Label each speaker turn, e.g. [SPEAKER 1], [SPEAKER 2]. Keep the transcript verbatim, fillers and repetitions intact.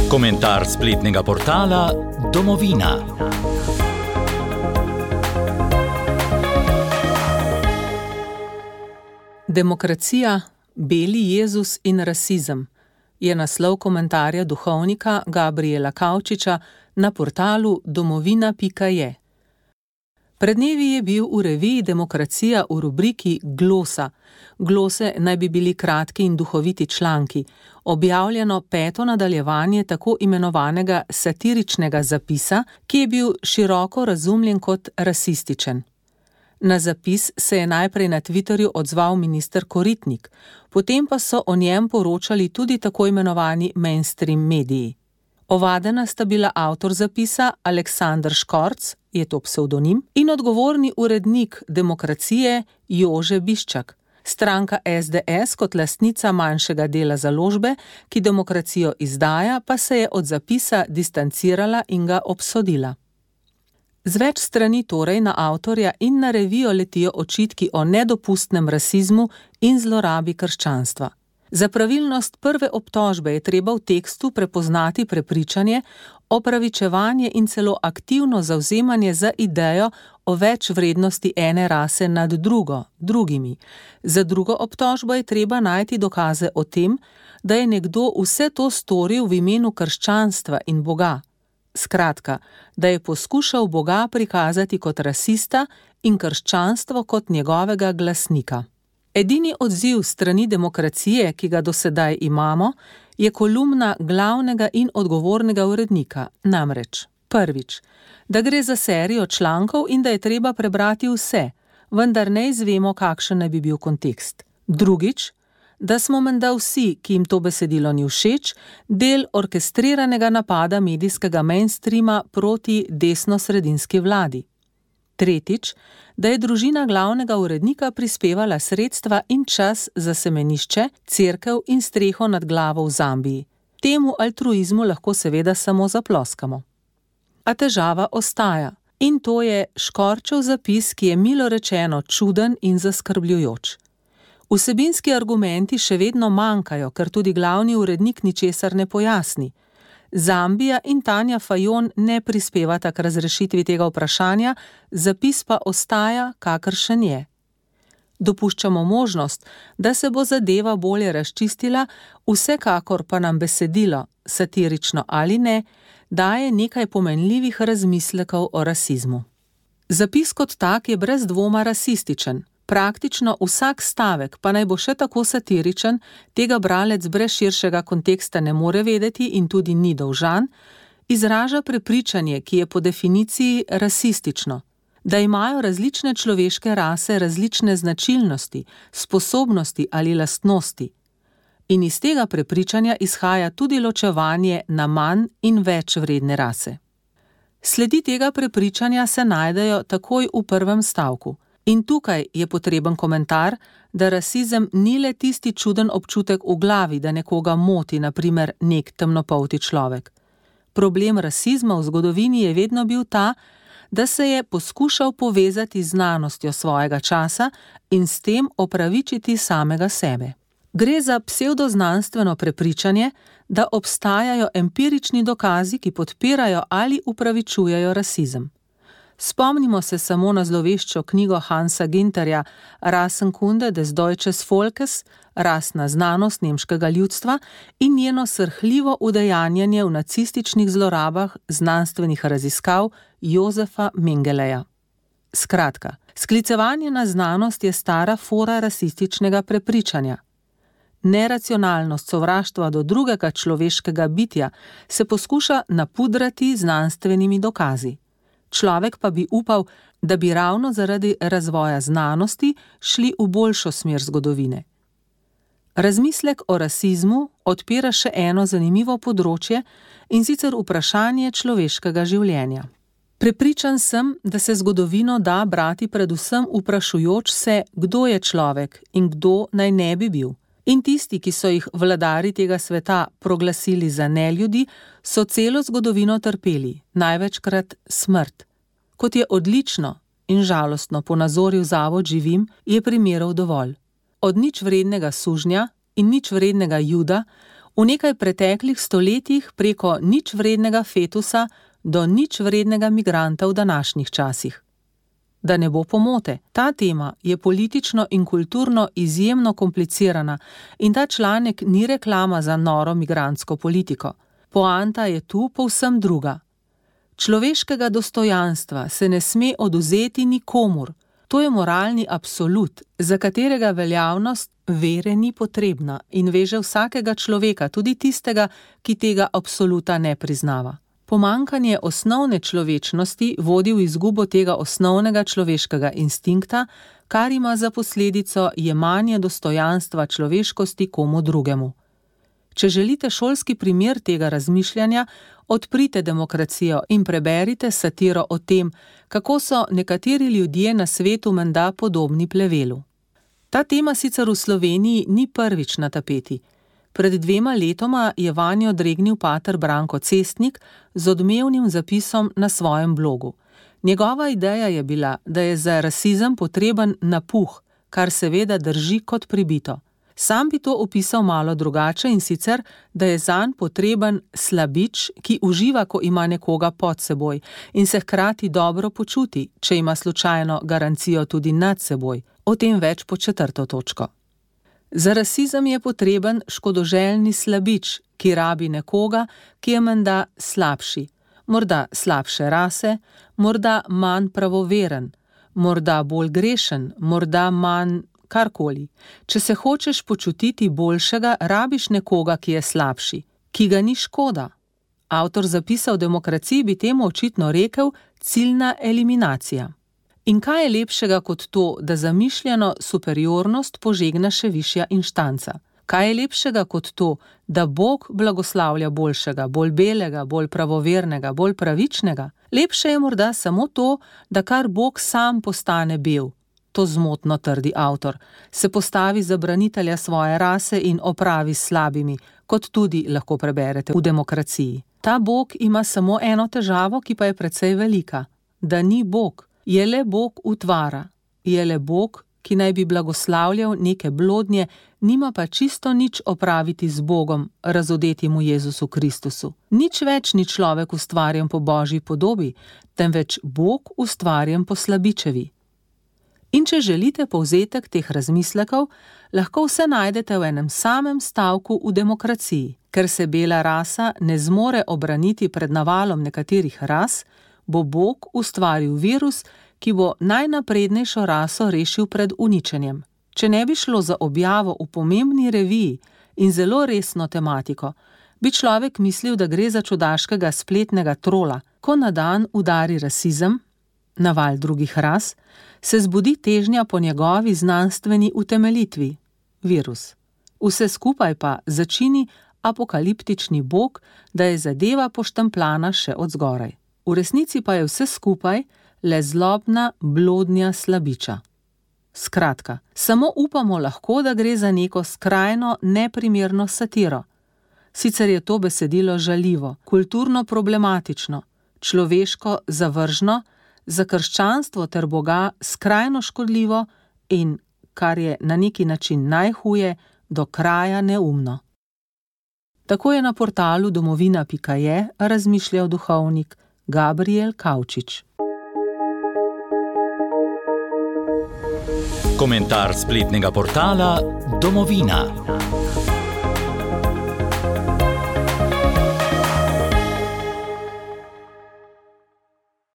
[SPEAKER 1] Komentar spletnega portala Domovina.
[SPEAKER 2] Demokracija, beli Jezus in rasizem je naslov komentarja duhovnika Gabriela Kavčiča na portalu domovina pika je. Pred dnevi je bil v reviji Demokracija v rubriki Glosa. Glose naj bi bili kratki in duhoviti članki, objavljeno peto nadaljevanje tako imenovanega satiričnega zapisa, ki je bil široko razumljen kot rasističen. Na zapis se je najprej na Twitterju odzval minister Koritnik, potem pa so o njem poročali tudi tako imenovani mainstream mediji. Ovadena sta bila avtor zapisa Aleksander Škorc, je to psevdonim, in odgovorni urednik Demokracije Jože Biščak. Stranka es de es kot lastnica manjšega dela založbe, ki Demokracijo izdaja, pa se je od zapisa distancirala in ga obsodila. Z več strani torej na avtorja in na revijo letijo očitki o nedopustnem rasizmu in zlorabi krščanstva. Za pravilnost prve obtožbe je treba v tekstu prepoznati prepričanje, opravičevanje in celo aktivno zavzemanje za idejo o več vrednosti ene rase nad drugo, drugimi. Za drugo obtožbo je treba najti dokaze o tem, da je nekdo vse to storil v imenu krščanstva in Boga. Skratka, da je poskušal Boga prikazati kot rasista in krščanstvo kot njegovega glasnika. Edini odziv strani Demokracije, ki ga do sedaj imamo, je kolumna glavnega in odgovornega urednika, namreč prvič, da gre za serijo člankov in da je treba prebrati vse, vendar ne izvemo, kakšen naj bi bil kontekst. Drugič, da smo menda vsi, ki jim to besedilo ni všeč, del orkestriranega napada medijskega mainstreama proti desnosredinski vladi. Tretjič, da je družina glavnega urednika prispevala sredstva in čas za semenišče, cerkev in streho nad glavo v Zambiji. Temu altruizmu lahko seveda samo zaploskamo. A težava ostaja, in to je Škorčev zapis, ki je milo rečeno čuden in zaskrbljujoč. Vsebinski argumenti še vedno manjkajo, ker tudi glavni urednik ničesar ne pojasni. Zambija in Tanja Fajon ne prispevata k razrešitvi tega vprašanja, zapis pa ostaja, kakršen je. Dopuščamo možnost, da se bo zadeva bolje razčistila, vsekakor pa nam besedilo, satirično ali ne, daje nekaj pomenljivih razmislekov o rasizmu. Zapis kot tak je brez dvoma rasističen. Praktično vsak stavek, pa naj bo še tako satiričen, tega bralec brez širšega konteksta ne more vedeti in tudi ni dolžan, izraža prepričanje, ki je po definiciji rasistično, da imajo različne človeške rase različne značilnosti, sposobnosti ali lastnosti. In iz tega prepričanja izhaja tudi ločevanje na manj in več vredne rase. Sledi tega prepričanja se najdejo takoj v prvem stavku. In tukaj je potreben komentar, da rasizem ni le tisti čuden občutek v glavi, da nekoga moti, na primer nek temnopolti človek. Problem rasizma v zgodovini je vedno bil ta, da se je poskušal povezati z znanostjo svojega časa in s tem opravičiti samega sebe. Gre za psevdoznanstveno prepričanje, da obstajajo empirični dokazi, ki podpirajo ali upravičujejo rasizem. Spomnimo se samo na zloveščo knjigo Hansa Ginterja Rassenkunde des Deutsches Volkes, rasna znanost nemškega ljudstva in njeno srhljivo udejanjanje v nacističnih zlorabah znanstvenih raziskav Josefa Mengeleja. Skratka, sklicevanje na znanost je stara fora rasističnega prepričanja. Neracionalnost sovraštva do drugega človeškega bitja se poskuša napudrati znanstvenimi dokazi. Človek pa bi upal, da bi ravno zaradi razvoja znanosti šli v boljšo smer zgodovine. Razmislek o rasizmu odpira še eno zanimivo področje, in sicer vprašanje človeškega življenja. Prepričan sem, da se zgodovino da brati predvsem vprašujoč se, kdo je človek in kdo naj ne bi bil. In tisti, ki so jih vladari tega sveta proglasili za neljudi, so celo zgodovino trpeli, največkrat smrt. Kot je odlično in žalostno ponazoril Zavod Živim, je primerov dovolj. Od nič vrednega sužnja in nič vrednega Juda, V nekaj preteklih stoletjih preko nič vrednega fetusa do nič vrednega migranta v današnjih časih. Da ne bo pomote, ta tema je politično in kulturno izjemno komplicirana in ta članek ni reklama za noro migrantsko politiko. Poanta je tu povsem druga. Človeškega dostojanstva se ne sme odvzeti nikomur. To je moralni absolut, za katerega veljavnost vere ni potrebna in veže vsakega človeka, tudi tistega, ki tega absoluta ne priznava. Pomanjkanje osnovne človečnosti vodi v izgubo tega osnovnega človeškega instinkta, kar ima za posledico jemanje dostojanstva človeškosti komu drugemu. Če želite šolski primer tega razmišljanja, odprite Demokracijo in preberite satiro o tem, kako so nekateri ljudje na svetu menda podobni plevelu. Ta tema sicer v Sloveniji ni prvič na tapeti. Pred dvema letoma je vanjo dregnil pater Branko Cestnik z odmevnim zapisom na svojem blogu. Njegova ideja je bila, da je za rasizem potreben napuh, kar seveda drži kot pribito. Sam bi to opisal malo drugače in sicer, da je zanj potreben slabič, ki uživa, ko ima nekoga pod seboj in se hkrati dobro počuti, če ima slučajno garancijo tudi nad seboj. O tem več pod četrto točko. Za rasizem je potreben škodoželjni slabič, ki rabi nekoga, ki je menda slabši, morda slabše rase, morda manj pravoveren, morda bolj grešen, morda manj karkoli. Če se hočeš počutiti boljšega, rabiš nekoga, ki je slabši, ki ga ni škoda. Avtor zapisa v Demokraciji bi temu očitno rekel ciljna eliminacija. In kaj je lepšega kot to, da zamišljeno superiornost požegna še višja inštanca? Kaj je lepšega kot to, da Bog blagoslavlja boljšega, bolj belega, bolj pravovernega, bolj pravičnega? Lepše je morda samo to, da kar Bog sam postane bel. To zmotno trdi avtor, se postavi za branitelja svoje rase in opravi s slabimi, kot tudi lahko preberete v Demokraciji. Ta Bog ima samo eno težavo, ki pa je precej velika, da ni Bog. Je le Bog utvara, je le Bog, ki naj bi blagoslavljal neke blodnje, nima pa čisto nič opraviti z Bogom, razodetim v Jezusu Kristusu. Nič več ni človek ustvarjen po Božji podobi, temveč Bog ustvarjen po slabičevi. In če želite povzetek teh razmislekov, lahko vse najdete v enem samem stavku v Demokraciji. Ker se bela rasa ne zmore obraniti pred navalom nekaterih ras, bo Bog ustvaril virus, ki bo najnaprednejšo raso rešil pred uničenjem. Če ne bi šlo za objavo v pomembni reviji in zelo resno tematiko, bi človek mislil, da gre za čudaškega spletnega trola. Ko na dan udari rasizem, naval drugih ras, se zbudi težnja po njegovi znanstveni utemeljitvi, virus. Vse skupaj pa začini apokaliptični Bog, da je zadeva poštempljana še od zgoraj. V resnici pa je vse skupaj le zlobna blodnja slabiča. Skratka, samo upamo lahko, da gre za neko skrajno neprimerno satiro. Sicer je to besedilo žaljivo, kulturno problematično, človeško zavržno, za krščanstvo ter Boga skrajno škodljivo in, kar je na neki način najhuje, do kraja neumno. Tako je na portalu domovina pika je razmišljal duhovnik Gabriel Kavčič.
[SPEAKER 1] Komentar spletnega portala Domovina.